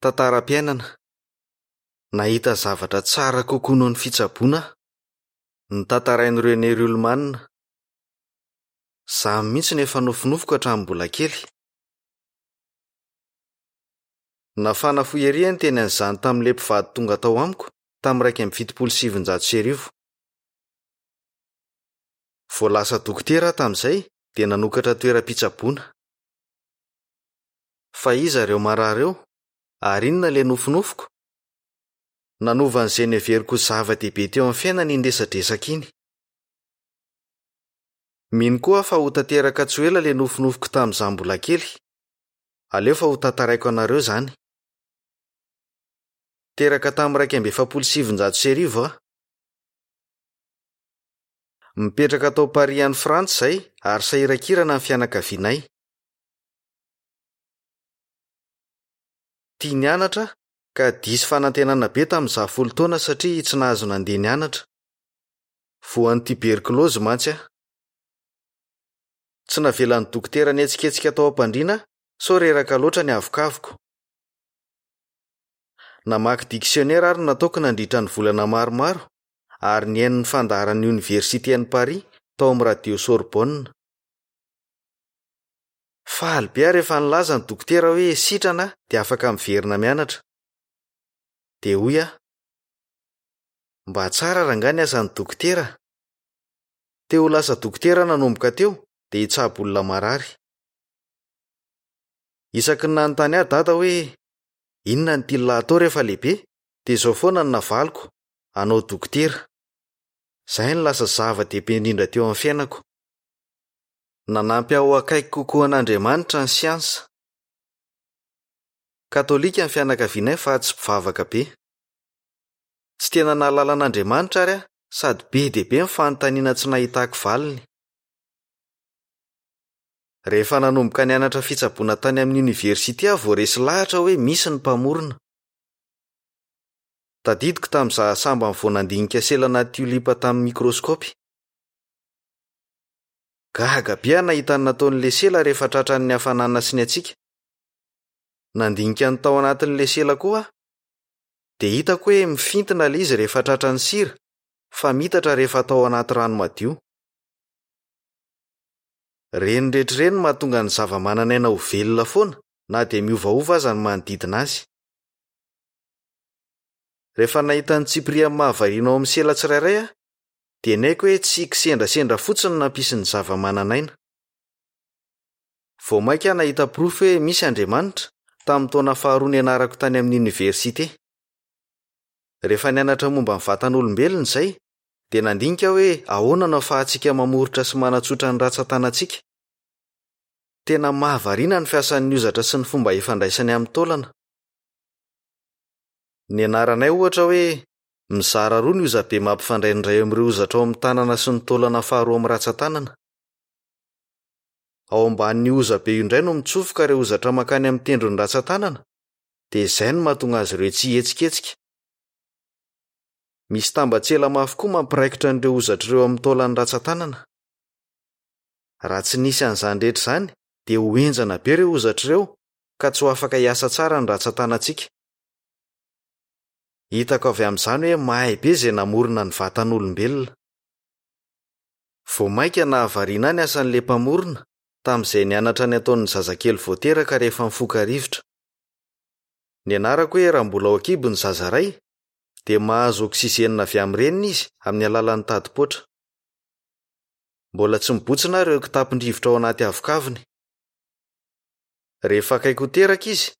Tantaram-piainana. Nahita zavatra tsara kokoa noho ny fitsaboana aho. Notantarain'i René Ruhlmann. Izany mihitsy no efa nofinofiko hatramin'ny mbola kely. Nafana fo ery aho niteny an'izany tamin'ilay mpivady tonga tao amiko tamin'ny 1971. Vao lasa dokotera aho tamin'izay dia nanokatra toeram-pitsaboana. Fa iza ireo marary ireo? Ary inona ilay nofinofiko? Nanova an'izay noheveriko ho zava-dehibe teo amin'ny fiainana iny resadresaka iny. Mino koa aho fa ho tanteraka tsy ho ela ilay nofinofiko tamin'izaho mbola kely. Aleo fa hotantaraiko anareo izany. Teraka tamin'ny 1941 aho. Mipetraka tao Paris any Frantsa izahay ary sahirankirana ny fianakavianay. Tia nianatra aho ka diso fanantenana be tamin'izaho folo taona satria tsy nahazo nandeha nianatra. Voan'ny tiberkilaozy mantsy aho. Tsy navelan'ny dokotera nihetsiketsika tao am-pandriana aho sao reraka loatra ny avokavoko. Namaky diksionera ary nataoko nandritra ny volana maromaro ary nihaino ny fandaharan'ny oniversite an'i Paris tao amin'ny radio Sorbonne. Faly be aho rehefa nilaza ny dokotera hoe sitrana aho dia afaka miverina mianatra. Dia hoy aho, Mba tsara rangahy ny asan'ny dokotera a! Te ho lasa dokotera aho nanomboka teo dia hitsabo olona marary. Isaky ny nanontany ahy Dada hoe inona no tian'lah atao rehefa lehibe dia izao foana no navaliko, hanao dokotera. Izay no lasa zava-dehibe indrindra teo amin'ny fiainako. Nanampy ahy ho akaiky kokoa an'Andriamanitra ny siansa. Katolika ny fianakavianay fa tsy mpivavaka be. Tsy tena nahalala an'Andriamanitra àry aho sady be dia be ny fanontaniana tsy nahitako valiny. Rehefa nanomboka nianatra fitsaboana tany amin'ny oniversite aho vao resy lahatra hoe misy ny Mpamorona. Tadidiko tamin'izaho sambany vao nandinika selana tiolipa tamin'ny mikraoskaopy. Gaga be aho nahita ny nataon'ilay sela rehefa tratran'ny hafanana sy ny hatsiaka. Nandinika ny tao anatin'ilay sela koa aho, dia hitako hoe mifintina ilay izy rehefa tratran'ny sira, fa miitatra rehefa atao anaty rano madio. Ireny rehetra ireny no mahatonga ny zavamananaina ho velona foana na dia miovaova aza ny manodidina azy. Rehefa nahita ny tsipiriany mahavariana ao amin'ny sela tsirairay aho, dia niaiky hoe tsy kisendrasendra fotsiny no nampisy ny zavamananaina. Vao mainka aho nahita porofo hoe misy Andriamanitra, tamin'ny taona faharoa nianarako tany amin'ny oniversite. Rehefa nianatra momba ny vatan'olombelona izay, dia nandinika aho hoe ahoana no ahafahantsika mamoritra sy manatsotra ny rantsantanantsika. Tena mahavariana ny fiasan'ny hozatra sy ny fomba ifandraisany amin'ny taolana. Nianaranay, ohatra, hoe Mizara roa ny hozabe mampifandray ny iray amin'ireo hozatra ao amin'ny tanana sy ny taolana faharoa amin'ny rantsan-tanana. Ao ambanin'io hozabe io indray no mitsofoka ireo hozatra mankany amin'ny tendron'ny rantsan-tanana, dia izay no mahatonga azy ireo tsy hihetsiketsika. Misy tambatsela mafy koa mampiraikitra an'ireo hozatra ireo amin'ny taolan'ny rantsan-tanana. Raha tsy nisy an'izany rehetra izany dia ho henjana be ireo hozatra ireo ka tsy ho afaka hiasa tsara ny rantsan-tanantsika. Hitako avy amin'izany hoe mahay be izay namorona ny vatan'olombelona. Vao mainka nahavariana ahy ny asan'ilay Mpamorona, tamin'izay nianatra ny ataon'ny zazakely vao teraka rehefa mifoka rivotra. Nianarako hoe raha mbola ao an-kibo ny zaza iray, dia mahazo oksizenina avy amin'ny reniny izy amin'ny alalan'ny tadipoatra. Mbola tsy mibontsina ary ireo kitapon-drivotra ao anaty havokavony. Rehefa akaiky ho teraka izy,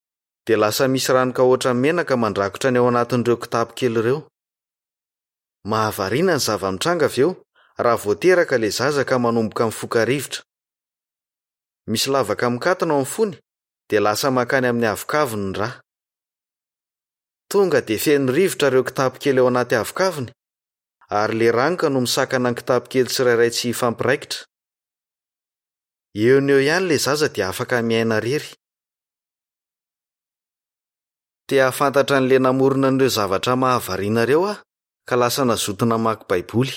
dia lasa misy ranoka hoatran'ny menaka mandrakotra ny ao anatin'ireo kitapo kely ireo. Mahavariana ny zava-mitranga avy eo raha vao teraka ilay zaza ka manomboka mifoka rivotra. Misy lavaka mikatona ao amin'ny fony dia lasa mankany amin'ny havokavony ny ra. Tonga dia feno rivotra ireo kitapo kely ao anaty havokavony ary ilay ranoka no misakana ny kitapo kely tsirairay tsy hifampiraikitra. Eo no eo ihany ilay zaza dia afaka miaina irery. Te hahafantatra an'ilay namorona an'ireo zavatra mahavariana ireo aho, ka lasa nazoto namaky Baiboly.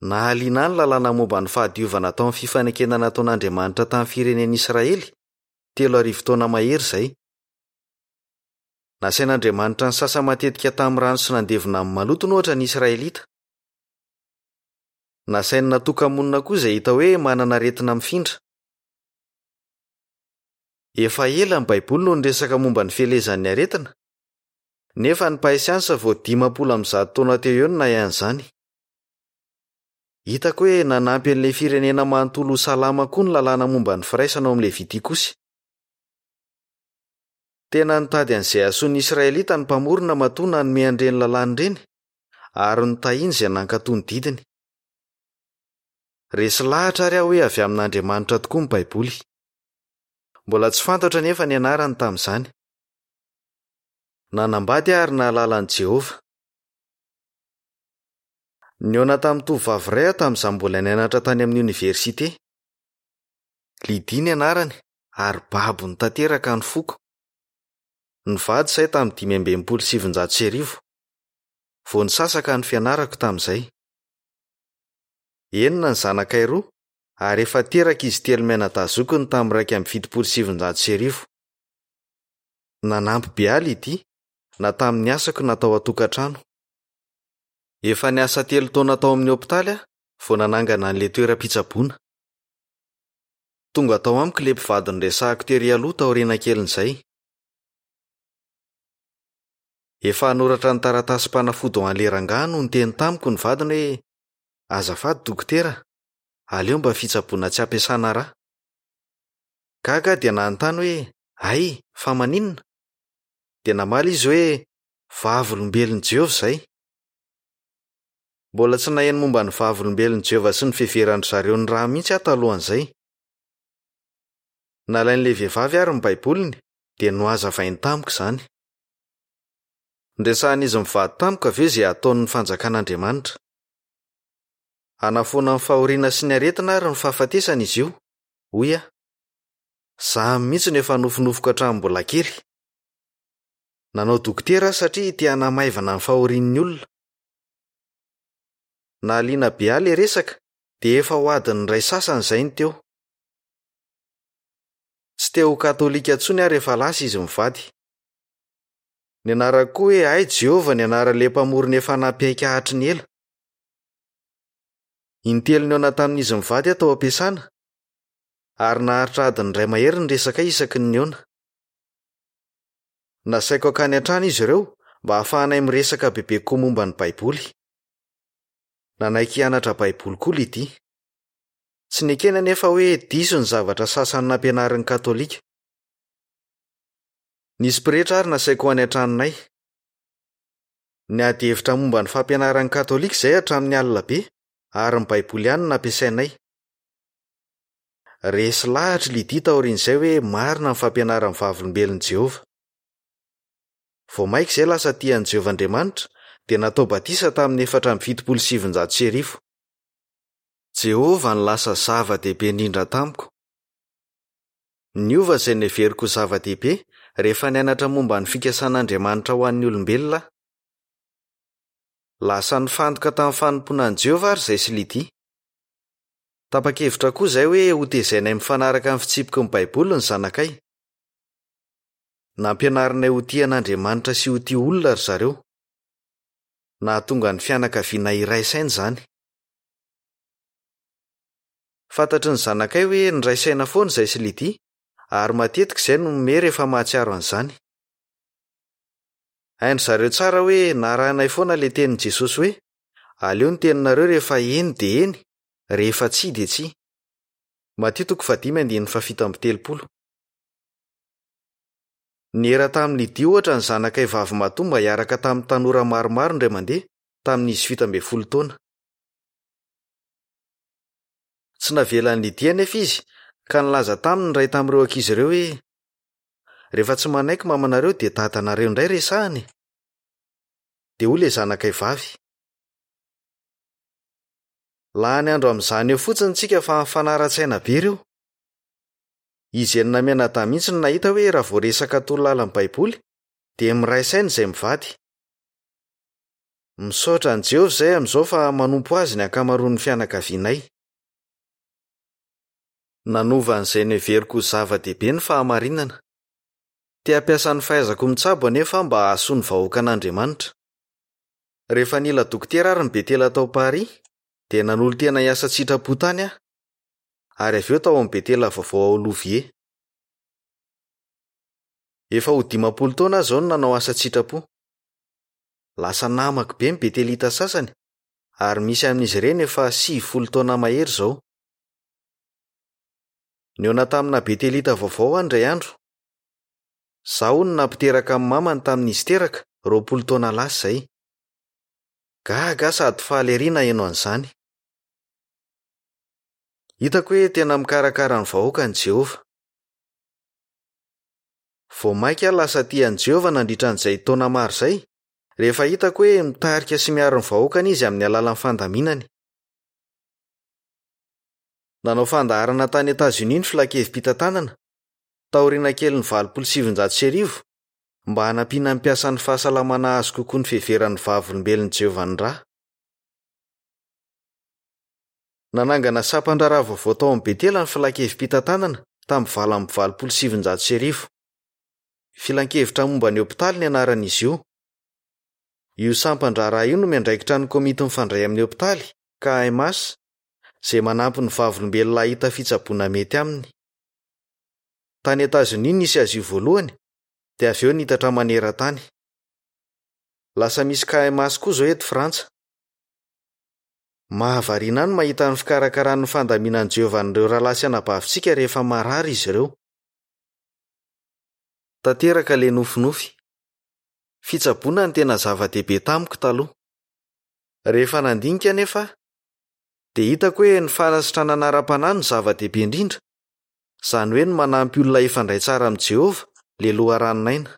Nahaliana ahy ny lalàna momba ny fahadiovana tao amin'ny fifanekena nataon'Andriamanitra tamin'ny firenen'Israely, 3000 taona mahery izay. Nasain'Andriamanitra nisasa matetika tamin'ny rano sy nandevona amin'ny malotony, ohatra, ny Israelita. Nasainy natoka-monina koa izay hita hoe manana aretina mifindra. Efa ela ny Baiboly no niresaka momba ny fielezan'ny aretina, nefa ny mpahay siansa vao 150 taona teo eo no nahay an'izany. Hitako hoe nanampy an'ilay firenena manontolo ho salama koa ny lalàna momba ny firaisana ao amin'ny Levitikosy. Tena nitady an'izay hahasoa ny Israelita ny Mpamorona matoa nanome an'ireny lalàna ireny, ary notahiny izay nankatò ny didiny. Resy lahatra àry aho hoe avy amin'Andriamanitra tokoa ny Baiboly. Mbola tsy fantatro anefa ny anarany tamin'izany. Nanambady aho ary nahalala an'i Jehovah. Nihaona tamin'ny tovovavy iray aho tamin'izaho mbola nianatra tany amin'ny oniversite. Lydie ny anarany ary babony tanteraka ny foko. Nivady izahay tamin'ny 1965. Vao nisasaka ny fianarako tamin'izay. Enina ny zanakay roa ary efa teraka izy telo mianadahy zokiny tamin'ny 1971. Nanampy be ahy Lydie, na tamin'ny asako na tao an-tokantrano. Efa niasa telo taona tao amin'ny hopitaly aho vao nanangana an'ilay toeram-pitsaboana. Tonga tao amiko ilay mpivady noresahako tery aloha taoriana kelin'izay. Efa hanoratra ny taratasim-panafody ho an'ilay rangahy no niteny tamiko ny vadiny hoe, Azafady dokotera, aleo mba fitsaboana tsy ampiasana rà. Gaga aho dia nanontany hoe, Hay, fa maninona? Dia namaly izy hoe, Vavolombelon'i Jehovah izay. Mbola tsy naheno momba ny Vavolombelon'i Jehovah sy ny fiheveran-dry zareo ny ra mihitsy aho talohan'izay. Nalain'ilay vehivavy àry ny Baiboliny, dia nohazavainy tamiko izany. Noresahin'izy mivady tamiko avy eo izay hataon'ny Fanjakan'Andriamanitra. Hanafoana ny fahoriana sy ny aretina ary ny fahafatesana izy io, hoy aho. Izany mihitsy no efa nofinofiko hatramin'ny mbola kely. Nanao dokotera aho satria te hanamaivana ny fahorian'ny olona. Nahaliana be ahy ilay resaka dia efa ho adiny iray sasany izay no teo. Tsy te ho katolika intsony aho rehefa lasa izy mivady. Nianarako koa hoe hay Jehovah ny anaran'ilay Mpamorona efa nampiaiky ahy hatry ny ela. Intelo nihaona tamin'izy mivady aho tao am-piasana, ary naharitra adiny iray mahery ny resakay isaky ny nihaona. Nasaiko hankany an-trano izy ireo mba hahafahanay miresaka bebe kokoa momba ny Baiboly. Nanaiky hianatra Baiboly koa Lydie. Tsy nekeny anefa hoe diso ny zavatra sasany nampianarin'ny Katolika. Nisy pretra àry nasaiko ho any an-tranonay. Niady hevitra momba ny fampianaran'ny Katolika izahay hatramin'ny alina be, ary ny Baiboly ihany no nampiasainay. Resy lahatra i Lydie taorian'izay hoe marina ny fampianaran'ny Vavolombelon'i Jehovah. Vao mainka izay lasa tia an'i Jehovah Andriamanitra, dia natao batisa tamin'ny 1974. Jehovah no lasa zava-dehibe indrindra tamiko. Niova izay noheveriko ho zava-dehibe rehefa nianatra momba ny fikasan'Andriamanitra ho an'ny olombelona aho. Lasa nifantoka tamin'ny fanompoana an'i Jehovah àry izahay sy Lydie. Tapa-kevitra koa izahay hoe hotezainay mifanaraka amin'ny fitsipiky ny Baiboly ny zanakay. Nampianarinay ho tia an'Andriamanitra sy ho tia olona ry zareo. Nahatonga ny fianakaviana hiray saina izany. Fantatry ny zanakay hoe niray saina foana izahay sy Lydie, ary matetika izahay no mihomehy rehefa mahatsiaro an'izany. Hain-dry zareo tsara hoe narahinay foana ilay tenin'i Jesosy hoe, Aleo ny teninareo rehefa eny dia eny, rehefa tsia dia tsia. Matio toko fahadimy andininy fahafito amby telopolo. Niera tamin'i Lydia ohatra ny zanakay vavimatoa mba hiaraka tamin'ny tanora maromaro indray mandeha, tamin'izy 17 taona. Tsy navelan'i Lydia anefa izy, ka nilaza taminy ny iray tamin'ireo ankizy ireo hoe, Rehefa tsy manaiky mamanareo dia dadanareo indray resahina e! Dia hoy ilay zanakay vavy, Lany andro amin'izany eo fotsiny tsika fa mifanara-tsaina be ireo. Izy enina mianadahy mihitsy no nahita hoe raha vao resaka torolalan'ny Baiboly dia miray saina izay mivady. Misaotra an'i Jehovah izahay amin'izao fa manompo azy ny ankamaroan'ny fianakavianay. Nanova an'izay noheveriko ho zava-dehibe ny fahamarinana. Te hampiasa ny fahaizako mitsabo anefa aho mba hahasoa ny vahoakan'Andriamanitra. Rehefa nila dokotera àry ny Betela tao Paris, dia nanolo-tena hiasa an-tsitrapo tany aho, ary avy eo tao amin'ny Betela vaovao ao Louviers. Efa ho 50 taona aho izao no nanao asa an-tsitrapo. Lasa namako be ny Betelita sasany, ary misy amin'izy ireny efa 90 taona mahery izao. Nihaona tamina Betelita vaovao aho indray andro. Izaho hono nampiteraka ny mamany tamin'izy teraka, 20 taona lasa izay. Gaga aho sady faly erỳ naheno an'izany. Hitako hoe tena mikarakara ny vahoakany i Jehovah. Vao mainka aho lasa tia an'i Jehovah nandritra an'izay taona maro izay, rehefa hitako hoe mitarika sy miaro ny vahoakany izy amin'ny alalan'ny fandaminany. Nanao fandaharana tany Etazonia ny Filan-kevi-pitantanana, taoriana kelin'ny 1980, mba hanampiana ny mpiasan'ny fahasalamana hahazo kokoa ny fiheveran'ny Vavolombelon'i Jehovah ny ra. Nanangana sampan-draharaha vaovao tao amin'ny Betela ny Filan-kevi-pitantanana tamin'ny 1988. Filan-kevitra momba ny hopitaly ny anaran'izy io. Io sampan-draharaha io no miandraikitra ny Komity Mifandray amin'ny Hopitaly, KMH, izay manampy ny Vavolombelona hahita fitsaboana mety aminy. Tany Etazonia no nisy azy io voalohany, dia avy eo niitatra maneran-tany. Lasa misy KMH koa izao eto Frantsa. Mahavariana ahy ny mahita ny fikarakaran'ny fandaminan'i Jehovah an'ireo rahalahy sy anabavintsika rehefa marary izy ireo. Tanteraka ilay nofinofy. Fitsaboana no tena zava-dehibe tamiko taloha. Rehefa nandinika anefa aho, dia hitako hoe ny fanasitranana ara-panahy no zava-dehibe indrindra, izany hoe ny manampy olona hifandray tsara amin'i Jehovah, ilay Loharanon'aina.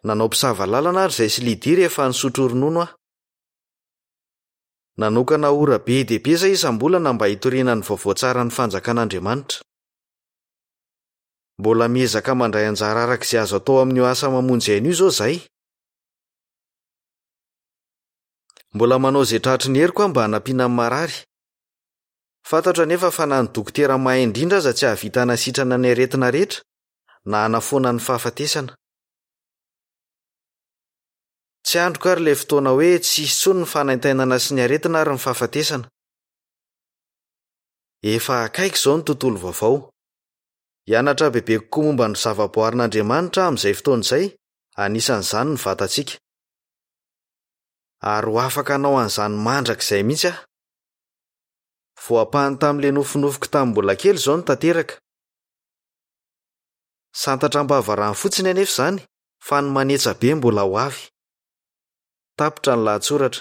Nanao mpisava lalana àry izahay sy Lydie rehefa nisotro ronono aho. Nanokana ora be dia be izahay isam-bolana mba hitoriana ny vaovao tsaran'ny Fanjakan'Andriamanitra. Mbola miezaka mandray anjara araka izay azo atao amin'io asa mamonjy aina io izao izahay. Mbola manao izay tratry ny heriko aho mba hanampiana ny marary. Fantatro anefa fa na ny dokotera mahay indrindra aza tsy hahavita hanasitrana ny aretina rehetra, na hanafoana ny fahafatesana. Tsy andriko àry ilay fotoana hoe tsy hisy intsony ny fanaintainana sy ny aretina ary ny fahafatesana. Efa akaiky izao ny tontolo vaovao. Hianatra bebe kokoa momba ny zavaboarin'Andriamanitra aho amin'izay fotoana izay, anisan'izany ny vatantsika. Ary ho afaka hanao an'izany mandrakizay mihitsy aho. Voampahany tamin'ilay nofinofiko tamin'ny mbola kely izao no tanteraka. Santatra am-bava rano fotsiny anefa izany fa ny manetsa be mbola ho avy. Tapitra ny lahatsoratra.